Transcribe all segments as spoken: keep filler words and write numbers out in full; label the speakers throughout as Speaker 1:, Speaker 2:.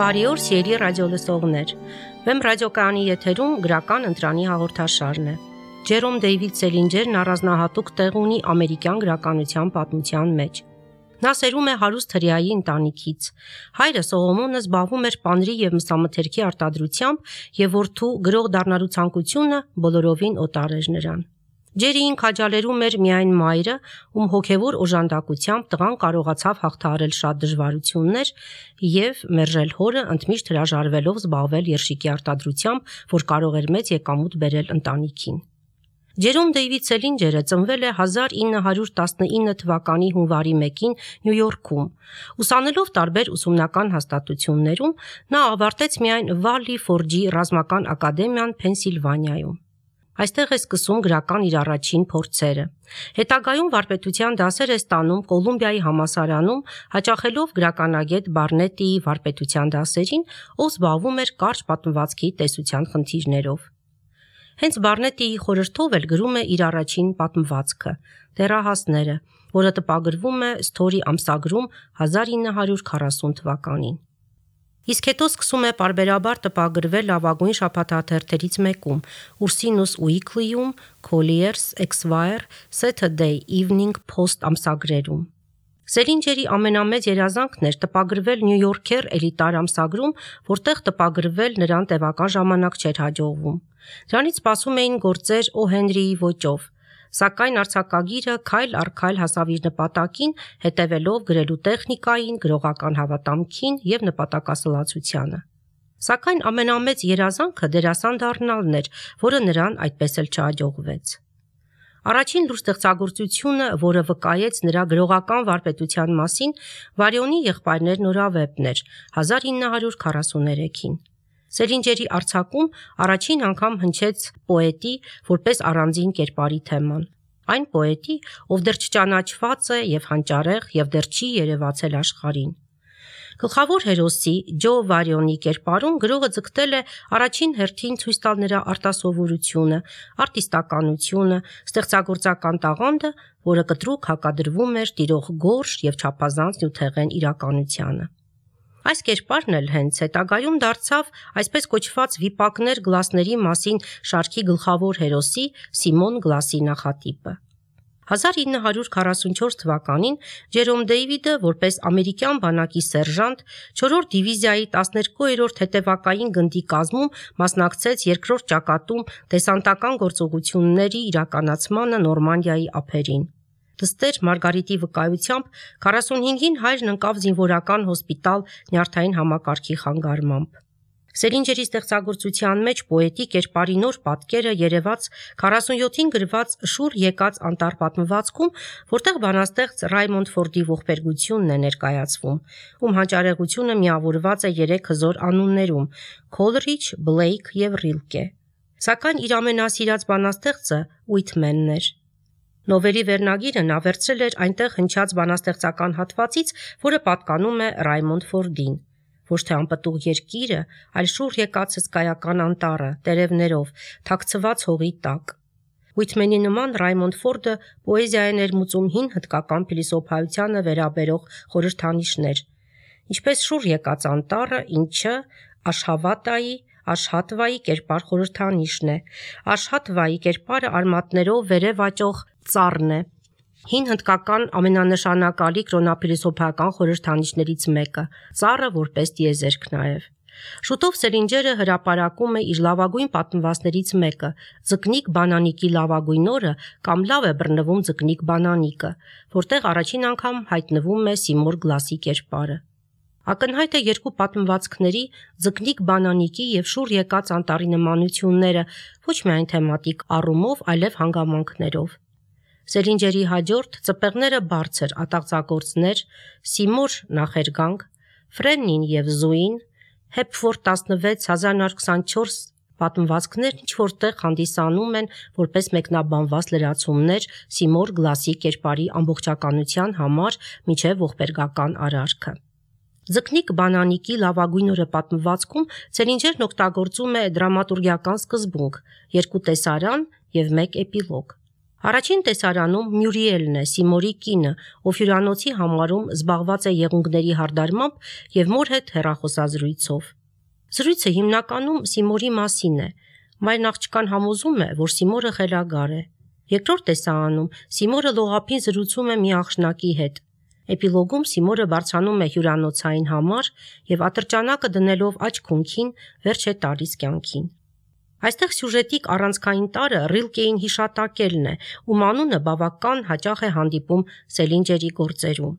Speaker 1: Բարի օր, սիրելի ռադիոլսողներ։ Վեմ ռադիոկայանի եթերում գրական ընտրանի հաղորդաշարն է։ Ջերոմ Դեյվիդ Սելինջերն առանձնահատուկ տեղ ունի ամերիկյան գրականության պատմության մեջ։ Նա սերում է հարուստ հրեայի ընտանիքից։ Հայրը Սողոմոնը զբաղվում էր պանրի և մսամթերքի արտադրությամբ և որդու գրող դառնալու ցանկությունը բոլորովին օտար էր նրան։ Ջերիին քաջալերում էր միայն մայրը, ում հոգևոր օժանդակությամբ տղան կարողացավ հաղթահարել շատ դժվարություններ և մերժել հորը, ընդմիշտ հրաժարվելով զբաղվել երշիկի արտադրությամբ, որ կարող էր մեծ եկամուտ բերել ընտանիքին։ Ջերոմ Դեյվիդ Սելինջերը ծնվել է հազար ինը հարյուր տասնինը թվականի հունվարի մեկին Նյու Յորքում։ Ուսանելով տարբեր ուսումնական հաստատություններում, նա ավարտեց միայն Վալլի Ֆորջի ռազմական ակադեմիան Փենսիլվանիայում։ Այստեղ է սկսում գրական իր առաջին փորձերը։ Հետագայում վարպետության դասեր է ստանում Կոլումբիայի համալսարանում, հաճախելով գրականագետ Բարնետիի վարպետության դասերին, ով զբաղվում էր կարճ պատմվածքի տեսության խնդիրներով։ Հենց Բարնետիի խորհրդով էլ գրում է իր առաջին պատմվածքը՝ «Դեռահասները», որը տպագրվում է Սթորի ամսագրում հազար ինը հարյուր քառասուն թվականին։ Իսկ հետո սկսում է պարբերաբար տպագրվել լավագույն շաբաթաթերթերից մեկում՝ Ուրսինուս Ուիկլիում, Քոլիերս, Էքսվայր, Սեթըրդեյ Իվնինգ Փոսթ ամսագրերում։ Սելինջերի ամենամեծ երազանքն էր տպագրվել Նյու Յորքեր էլիտար ամսագրում, որտեղ տպագրվել նրան տևական ժամանակ չէր հաջողվում։ Դրանից սպասում էին գործեր Օ. Հենրիի ոճով, սակայն արձակագիրը քայլ առ քայլ հասավ իր նպատակին, հետևելով գրելու տեխնիկային, գրողական հավատամքին և նպատակասլացությանը։ Սակայն ամենամեծ երազանքը դերասան դառնալն էր, որը նրան այդպես էլ չհաջողվեց։ Առաջին լուրջ ստեղծագործությունը, որը վկայեց նրա գրողական վարպետության մասին, Վարյոնի եղբայրներ նորավեպն էր հազար ինը հարյուր քառասուներեքին։ Սելինջերի արձակում առաջին անգամ հնչեց պոետի որպես առանձին կերպարի թեման։ Այն պոետի, ով դեռ չճանաչված է և հանճարեղ և դեռ չի երևացել աշխարհին։ Գլխավոր հերոսի՝ Ջո Վարյոնի կերպարում գրողը ձգտել է առաջին հերթին ցույց տալ նրա արտասովորությունը, արտիստականությունը, ստեղծագործական տաղանդը, որը կտրուկ հակադրվում էր տիրող գորշ և չափազանց նյութեղեն իրականությանը։ Այս կերպարն էլ հենց հետագայում դարձավ այսպես կոչված վիպակներ գլասների մասին շարքի գլխավոր հերոսի Սիմոն Գլասի նախատիպը։ հազար ինը հարյուր քառասունչորս թվականին Ջերոմ Դեյվիդը որպես ամերիկյան բանակի սերժանտ չորրորդ դիվիզիայի տասներկուերորդ հետևակային գնդի կազմում մասնակցեց երկրորդ ճակատում դեսանտական գործողությունների իրականացմանը Նորմանդիայի ափերին։ Դստեր Մարգարիտի վկայությամբ քառասունհինգին հայրն ընկավ զինվորական հոսպիտալ նյարդային համակարգի խանգարմամբ։ Սելինջերի ստեղծագործության մեջ պոետի կերպարի նոր պատկերը երևաց քառասունյոթին գրված Շուռ եկած անտառ պատմվածքում, որտեղ բանաստեղծ Ռայմոնդ Ֆորդի ողբերգությունն է ներկայացվում, ում հանճարեղությունը միավորված է երեք հզոր անուններում՝ Քոլրիջ, Բլեյք և Ռիլկե։ Սակայն իր ամենասիրած բանաստեղծը Ուիթմենն էր։ Նովելի վերնագիրը նա վերցրել էր այնտեղ հնչած բանաստեղծական հատվածից, որը պատկանում է Ռայմոնդ Ֆորդին։ Ոչ թե անպտուղ երկիրը, այլ շուռ եկած հսկայական անտառը, տերևներով, թաքցված հողի տակ։ Ուիթմենի նման Ռայմոնդ Ֆորդը պոեզիա է ներմուծում հին հնդկական փիլիսոփայությանը վերաբերող խորհրդանիշներ, ինչպես շուռ եկած անտառը, ինչը Աշհավատայի, Աշհատվայի կերպար խորհրդանիշն է։ Աշհատվայի կերպարը արմատներով վերև աճող ծառն է։ Հին հնդկական ամենանշանակալի կրոնափիլիսոփայական խորհրդանիշներից մեկը, ծառը որպես տիեզերք նաև։ Շուտով Սելինջերը հրապարակում է իր լավագույն պատմվածքներից մեկը՝ Ձկնիկ Բանանիկի լավագույն օրը կամ Լավ է բռնվում ձկնիկ Բանանիկը, որտեղ առաջին անգամ հայտնվում է Սիմոն Գլասի կերպարը։ Ակնհայտ է երկու պատմվածքների՝ Ձկնիկ Բանանիկի և շուռ եկած անտառի նմանությունները ոչ միայն թեմատիկ առումով, այլև հանգամանքներով։ Սելինջերի հաջորդ Ծպեղները բարձր ատաղձագործներ, Սիմոր նախերգանք, Ֆրեննին և Զուին, Հեփֆորդ տասնվեց հազար նոց քսանչորս պատմվածքներն ինչ-որ տեղ հանդիսանում են որպես մեկնաբանված լրացումներ Սիմոր Գլասի կերպարի ամբողջականության համար մինչև ողբերգական արարքը։ Ձկնիկ Բանանիկի լավագույն օրը պատմվածքում Սելինջերն օգտագործում է դրամատուրգիական սկզբունք՝ երկու տեսարան և մեկ էպիլոգ։ Առաջին տեսարանում Մյուրիելն է, Սիմորի կինը, ով հյուրանոցի համարում զբաղված է եղունգների հարդարմամբ և մոր հետ հեռախոսազրույցով։ Զրույցը հիմնականում Սիմորի մասին է, մայրն աղջկան համոզում է, որ Սիմորը խելագար է։ Երկրորդ տեսարանում Սիմորը լողափին զրուցում է մի աղջնակի հետ։ Էպիլոգում Սիմորը բարձրանում է հյուրանոցային համար և ատրճանակը դնելով աջ քունքին վերջ է տալիս կյանքին։ Այստեղ սյուժետիկ առանցքային տարրը Ռիլկեին հիշատակելն է, ում անունը բավական հաճախ է հանդիպում Սելինջերի գործերում։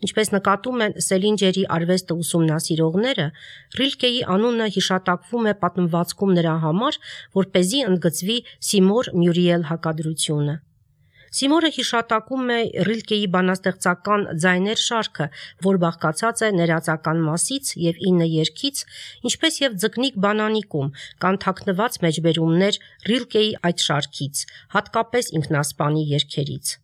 Speaker 1: Ինչպես նկատում են Սելինջերի արվեստը ուսումնասիրողները, Ռիլկեի անունը հիշատակվում է պատմվածքում նրա համար, որպեսզի ընդգծվի Սիմոր-Մյուրիել հակադրությունը։ Սիմորը հիշատակում է Ռիլկեի բանաստեղծական «Ձայներ» շարքը, որ բաղկացած է ներածական մասից և ինը երգից, ինչպես և «Ձկնիկ բանանիկում» կան թաքնված մեջբերումներ Ռիլկեի այդ շարքից, հատկապես ինքնասպանի երգերից։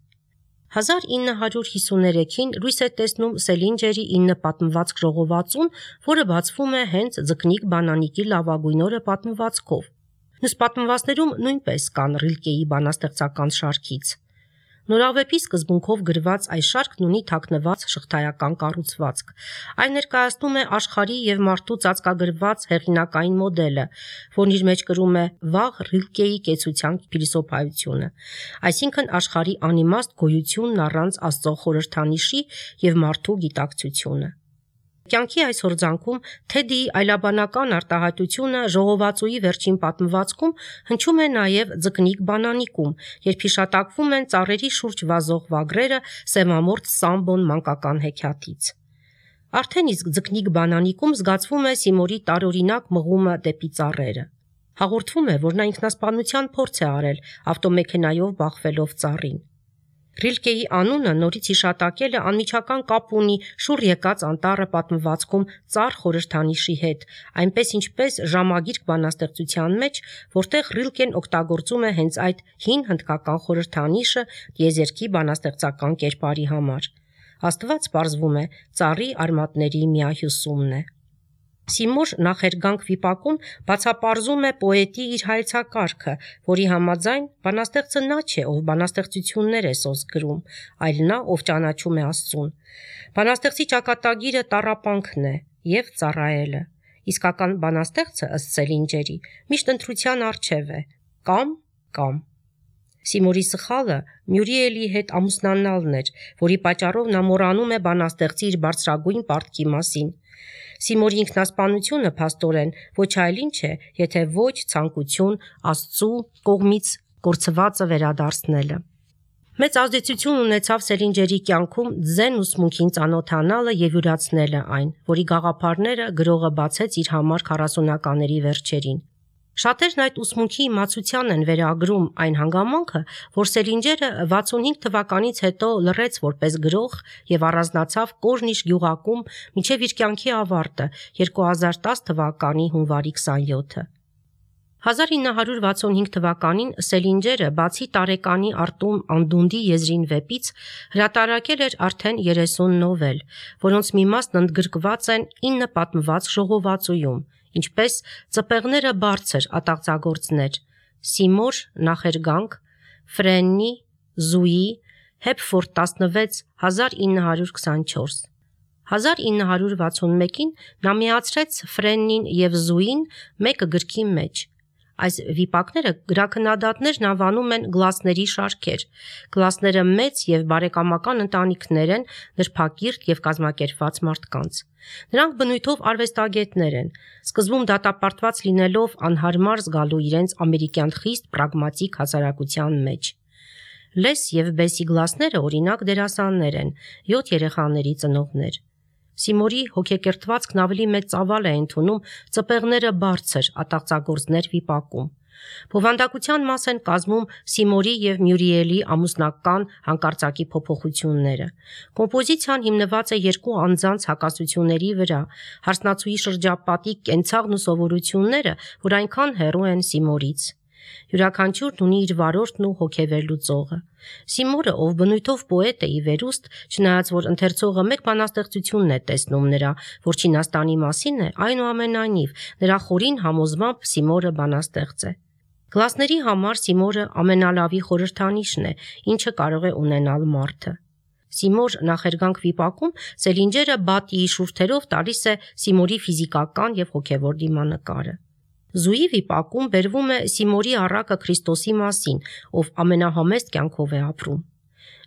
Speaker 1: հազար ինը հարյուր հիսուներեքին լույս է տեսնում Սելինջերի ինը պատմվածք ժողովածուն, որը բացվում է հենց «Ձկնիկ բանանիկի» լավագույն օրը պատմվածքով։ Մյուս պատմվածքներում նույնպես կան Ռիլկեի բանաստեղծական շարքից։ Նորավեպի սկզբունքով գրված այս շարքն ունի թաքնված շղթայական կառուցվածք։ Այն ներկայացնում է աշխարհի և մարդու ծածկագրված հեղինակային մոդելը, որն իր մեջ կրում է վաղ Ռիլկեի կեցության փիլիսոփայությունը, այսինքն աշխարհի անիմաստ գոյությունն առանց Աստծո խորհրդանիշի և մարդու գիտակցությունը։ Կյանքի այս հորձանքում Թեդիի այլաբանական արտահայտությունը ժողովածուի վերջին պատմվածքում հնչում է նաև «Ձկնիկ բանանիկում», երբ հիշատակվում են ծառերի շուրջ վազող վագրերը սևամորթ Սամբոն մանկական հեքիաթից։ Արդեն իսկ «Ձկնիկ բանանիկում» զգացվում է Սիմորի տարօրինակ մղումը դեպի ծառերը։ Հաղորդվում է, որ նա ինքնասպանության փորձ է արել ավտոմեքենայով բախվելով ծառին։ Ռիլկեի անունը նորից հիշատակելը անմիջական կապ ունի շուռ եկած անտառը պատմվածքում ծառ խորհրդանիշի հետ, այնպես ինչպես ժամագիրք բանաստեղծության մեջ, որտեղ Ռիլկեն օգտագործում է հենց այդ հին հնդկական խորհրդանիշը տիեզերքի բանաստեղծական կերպարի համար։ Աստված, պարզվում է, ծառի արմատների միահյուսումն է։ Սիմոր նախերգանք վիպակում բացապարզում է պոետի իր հայեցակարգը, որի համաձայն բանաստեղծը նա չէ, ով բանաստեղծություններ է սոսկ գրում, այլ նա, ով ճանաչում է Աստծուն։ Բանաստեղծի ճակատագիրը տառապանքն է և ծառայելը։ Իսկական բանաստեղծը, ըստ Սելինջերի, միշտ ընտրության առջև է՝ կամ կամ։ Սիմորի սխալը Մյուրիելի հետ ամուսնանալն էր, որի պատճառով նա մոռանում է բանաստեղծի իր բարձրագույն պարտքի մասին։ Սիմորի ինքնասպանությունը փաստորեն ոչ այլ ինչ է, եթե ոչ ցանկություն Աստծու կողմից կորցվածը վերադարձնելը։ Մեծ ազդեցություն ունեցավ Սելինջերի կյանքում ձեն ուսմունքին ծանոթանալը և յուրացնելը այն, որի գաղափարները գրողը բացեց իր համար քառասունականների վերջերին։ Շատերն այդ ուսմունքի իմացության են վերագրում այն հանգամանքը, որ Սելինջերը վաթսունհինգ թվականից հետո լռեց որպես գրող և առանձնացավ Կոժնիշ գյուղակում մինչև իր կյանքի ավարտը երկու հազար տաս թվականի հունվարի քսանյոթը։ հազար ինը հարյուր վաթսունհինգ թվականին Սելինջերը, բացի տարեկանի Արտում անդունդի եզրին վեպից, հրատարակել էր արդեն երեսուն նովել, որոնց մի մասն ընդգրկված են ինը պատմված ժողովածուում, ինչպես «Ծպեղները բարձր» ատաղձագործներ, Սիմոր նախերգանք, Ֆրեննի, Զուի, Հեփֆորդ տասնվեց հազար ինը հարյուր քսանչորս։ հազար ինը հարյուր վաթսունմեկին նա միացրեց Ֆրեննին և Զուին մեկը գրքի մեջ։ Այս վիպակները գրաքննադատներն անվանում են գլասների շարքեր։ Գլասները մեծ և բարեկամական ընտանիքներ են նրբակիրթ և կազմակերպված մարդկանց։ Նրանք բնույթով արվեստագետներ են, սկզբում դատապարտված լինելով անհարմար զգալու իրենց ամերիկյան խիստ պրագմատիկ հասարակության մեջ։ Լես և Բեսի գլասները, օրինակ, դերասաններ են, յոթ երեխաների ծնողներ։ Սիմորի հոգեկերտվածքն ավելի մեծ ծավալ է ընդունում «Ծպեղները բարձր» ատաղձագործներ վիպակում։ Բովանդակության մաս են կազմում Սիմորի և Մյուրիելի ամուսնական հանկարծակի փոփոխությունները։ Կոմպոզիցիան հիմնված է երկու անձանց հակասությունների վրա, հարսնացուի շրջապատի կենցաղն ու սովորությունները, որ այնքան հեռու են Սիմորից։ Յուրաքանչյուրն ունի իր վարորդն ու հոգեվերլուծողը։ Սիմորը, ով բնույթով պոետ է ի վերուստ, չնայած որ ընթերցողը մեկ բանաստեղծությունն է տեսնում նրա, որ Չինաստանի մասին է, այնուամենայնիվ նրա խորին համոզմամբ Սիմորը բանաստեղծ է։ Կլասների համար Սիմորը ամենալավի խորհրդանիշն է, ինչը կարող է ունենալ մարդը։ Սիմոր նախերգանք վիպակում Սելինջերը բատիի շուրթերով տալիս է Սիմորի ֆիզիկական եւ հոգեվոր դիմանկարը։ Զուի վիպակում բերվում է Սիմորի առակը Քրիստոսի մասին, ով ամենահամեստ կյանքով է ապրում։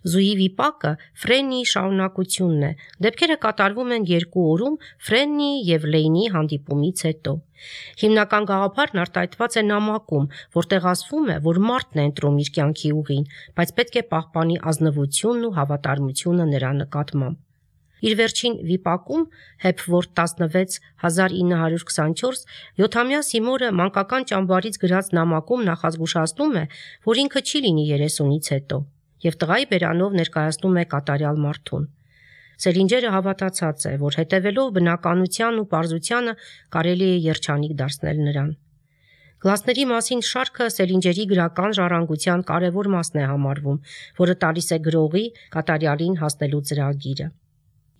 Speaker 1: Զուի վիպակը Ֆրեննիի շարունակությունն է, դեպքերը կատարվում են երկու օրում Ֆրեննիի եւ Լեյնի հանդիպումից հետո։ Հիմնական գաղափարն արտահայտված է նամակում, որտեղ ասվում է, որ մարդն է ընտրում իր կյանքի ուղին, բայց պետք է պահպանի ազնվությունն ու հավատարմությունը նրա նկատմամբ։ Իր վերջին վիպակում Հեփվորդ տասնվեց հազար ինը հարյուր քսանչորս յոթամյա Սիմորը մանկական ճամբարից գրած նամակում նախազգուշացնում է, որ ինքը չի լինի երեսունից հետո, եւ տղայի բերանով ներկայացնում է կատարյալ մարդուն։ Սելինջերը հավատացած է, որ հետևելով բնականության ու պարզությանը կարելի է երջանիկ դարձնել նրան։ Կլասների մասին շարքը Սելինջերի գրական ժառանգության կարևոր մասն է համարվում, որը տալիս է գրողի կատարյալին հասնելու ծրագիրը։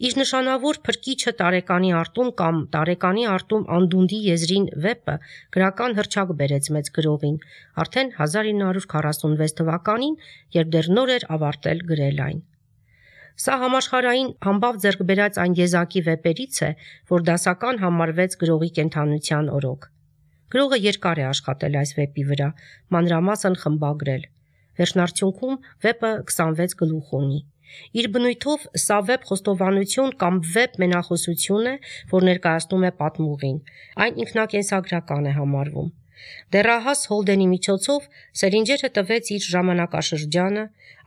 Speaker 1: Իր նշանավոր Փրկիչը տարեկանի արտում կամ տարեկանի արտում անդունդի եզրին վեպը գրական հռչակ բերեց մեծ գրողին, արդեն հազար ինը հարյուր քառասունվեց թվականին, երբ դեռ նոր էր ավարտել գրել այն։ Սա համաշխարհային համբավ ձեռք բերած այն եզակի վեպերից է, որ դասական համարվեց գրողի կենդանության օրոք։ Գրողը երկար է աշխատել այս վեպի վրա, մանրամասն խմբագրել։ Վերջնարդյունքում վեպը քսանվեց գլուխ ունի։ Իր բնույթով սա վեպ խոստովանություն կամ վեպ մենախոսություն է, որ ներկայացնում է պատմուղին։ Այն ինքնակենսագրական է համարվում։ Դեռահաս Հոլդենի միջոցով Սելինջերը տվեց իր ժամանակաշրջանը,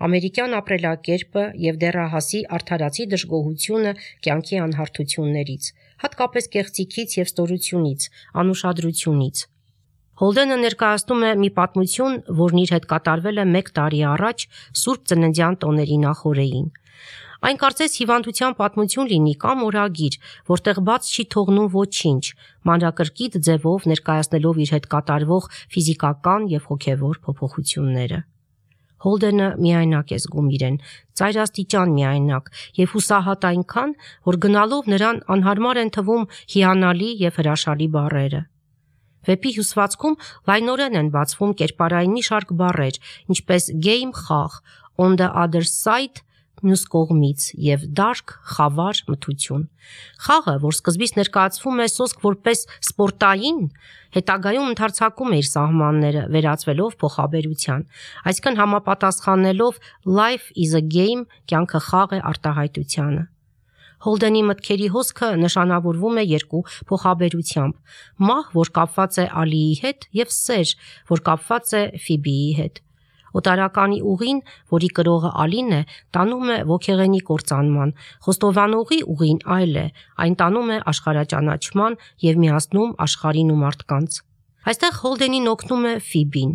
Speaker 1: ամերիկյան ապրելակերպը եւ դեռահասի արդարացի դժգոհությունը կյանքի անհարթություններից, հատկապես կեղծիքից եւ ստորությունից, անուշադրությունից։ Հոլդենը ներկայացնում է մի պատմություն, որն իր հետ կատարվել է մեկ տարի առաջ Սուրբ Ծննդյան տոների նախօրեին։ Այն կարծես հիվանդության պատմություն լինի կամ օրագիր, որտեղ բաց չի թողնում ոչինչ, մանրակրկիտ ձևով ներկայացնելով իր հետ կատարվող ֆիզիկական եւ հոգեվոր փոփոխությունները։ Հոլդենը միայնակ է զգում իրեն, ծայրաստիճան միայնակ եւ հուսահատ այնքան, որ գնալով նրան անհարմար են թվում հիանալի եւ հրաշալի բառերը։ Վեպի հյուսվածքում լայնորեն են բացվում կերպարային մի շարք բառեր, ինչպես game խաղ, on the other side մյուս կողմից եւ dark խավար մթություն։ Խաղը, որ սկզբից ներկայացվում է սոսկ որպես սպորտային, հետագայում ընդարձակում է իր սահմանները, վերածվելով փոխաբերության, այսինքն համապատասխանելով life is a game, կյանքը խաղ է արտահայտությանը։ Հոլդենի մտքերի հոսքը նշանավորվում է երկու փոխաբերությամբ՝ մահ, որ կապված է Ալիի հետ, եւ սեր, որ կապված է Ֆիբիի հետ։ Օտարականի ուղին, որի կրողը Ալին է, տանում է ոգեղենի կործանման, խոստովանողի ուղին այլ է, այն տանում է աշխարհաճանաչման եւ միացնում աշխարհին ու մարդկանց։ Այստեղ Հոլդենին օգնում է Ֆիբին։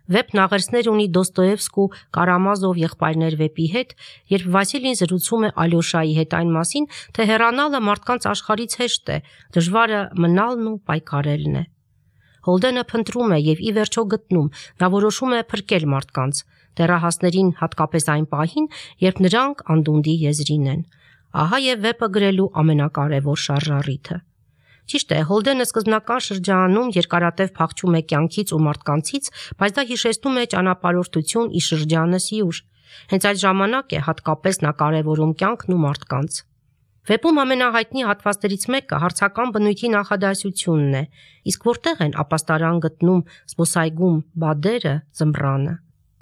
Speaker 1: Վեպն աղերսներ ունի Դոստոևսկու Կարամազով եղբայրներ վեպի հետ, երբ Վասիլին զրուցում է Ալյոշայի հետ այն մասին, թե հեռանալը մարդկանց աշխարհից հեշտ է, դժվարը մնալն ու պայքարելն է։ Հոլդենը փնտրում է եւ ի վերջո գտնում, նա որոշում է փրկել մարդկանց, դեռահասներին հատկապես այն պահին, երբ նրանք անդունդի եզրին են։ Ահա եւ վեպը գրելու ամենակարևոր շարժառիթը։ Ճիշտ է, Հոլդենը սկզբնական շրջանում երկարատև փախչում է կյանքից ու մարդկանցից, բայց դա հիշեցնում է ճանապարհորդություն ի շրջանը սիուր։ Հենց այդ ժամանակ է հատկապես նա կարևորում կյանքն ու մարդկանց։ Վեպում ամենահայտնի հատվածներից մեկը հարցական բնույթի նախադասությունն է, իսկ որտեղ են ապաստարան գտնում զբոսայգում բադերը ձմռանը։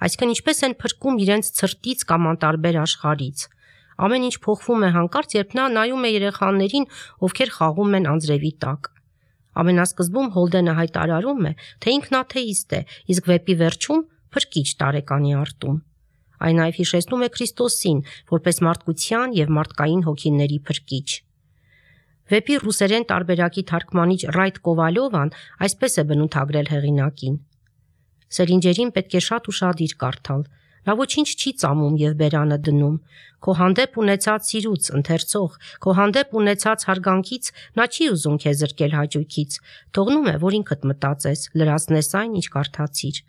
Speaker 1: Այսինքն ինչպես են փրկում իրենց ցրտից կամ անտարբեր աշխարհից։ Ամեն ինչ փոխվում է հանկարծ, երբ նա նայում է երեխաներին, ովքեր խաղում են անձրևի տակ։ Ամենասկզբում Հոլդենը հայտարարում է, թե ինքն աթեիստ է, իսկ վեպի վերջում փրկիչ տարեկանի արտում։ Այն նաև հիշեցնում է Քրիստոսին, որպես մարդկության եւ մարդկային հոգիների փրկիչ։ Վեպի ռուսերեն տարբերակի թարգմանիչ Ռայտ Կովալյովան այսպես է բնութագրել հեղինակին. Սելինջերին պետք է շատ ուշադիր կարդալ։ Նա ոչինչ չի ծամում եւ բերանը դնում։ Քո հանդեպ ունեցած սիրուց, ընթերցող, քո հանդեպ ունեցած հարգանքից նա չի ուզում քեզ զրկել հաճույքից։ Թողնում է, որ ինքդ մտածես, լրացնես այն, ինչ կարդացիր։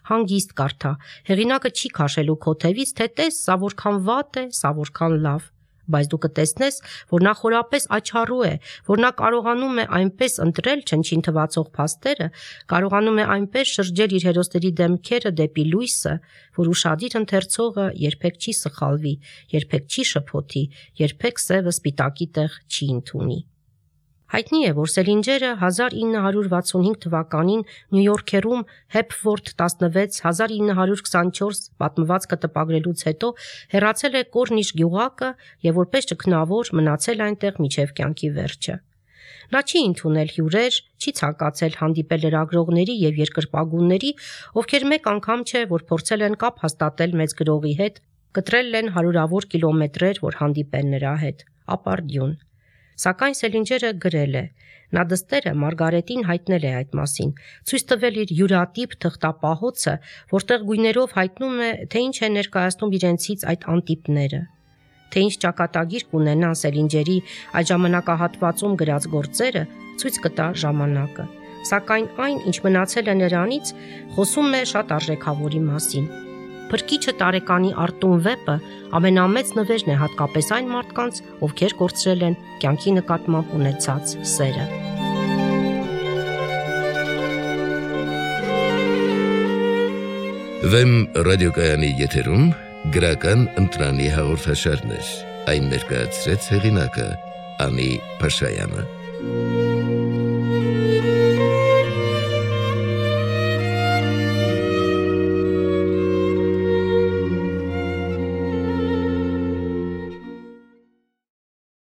Speaker 1: Հանգիստ կարդա։ Հեղինակը չի քաշելու քո թևից, թե տես, սա որքան վատ է, սա որքան լավ։ բայց դու կտեսնես, որ նա խորապես աչառու է, որ նա կարողանում է այնպես ընտրել չնչին թվացող փաստերը, կարողանում է այնպես շրջել իր հերոսների դեմքերը դեպի լույսը, որ ուշադիր ընթերցողը երբեք չի սխալվի, երբեք չի շփոթի, երբեք սևը սպիտակի տեղ չի ընդունի։ Հայտնի է, որ Սելինջերը հազար ինը հարյուր վաթսունհինգ թվականին Նյու Յորքերում Հեփվորթ տասնվեց հազար ինը հարյուր քսանչորս պատմվածքը տպագրելուց հետո հեռացել է Կորնիշ գյուղակը եւ որպես ճգնավոր մնացել այնտեղ մինչեւ կյանքի վերջը։ Նա չի ընդունել հյուրեր, չի ցանկացել հանդիպել լրագրողների եւ երկրպագուների, ովքեր մեկ անգամ չէ, որ փորձել են կապ հաստատել մեծ գրողի հետ, կտրել են հարյուրավոր կիլոմետրեր, որ հանդիպեն նրա հետ, ապարդյուն։ Սակայն Սելինջերը գրել է, նա դստերը Մարգարետին հայտնել է այդ մասին, ցույց տվել իր յուրատիպ թղթապահոցը, որտեղ գույներով հայտնում է, թե ինչ է ներկայացնում իրենցից այդ անտիպները, թե ինչ ճակատագիր կունենան Սելինջերի այդ ժամանակահատվածում գրած գործերը, ցույց կտա ժամանակը, սակայն այն, ինչ մնացել է նրանից, խոսում է շատ արժեքավորի մասին։ Փրկիչը տարեկանի Արտուն վեպը ամենամեծ նվերն է հատկապես այն մարդկանց, ովքեր կորցրել են կյանքի նկատմամբ ունեցած սերը։
Speaker 2: Վեմ ռադիոկայանի եթերում գրական ընտրանի հաղորդաշարներ, այն ներկայացրեց հեղինակը Անի Փաշայանը։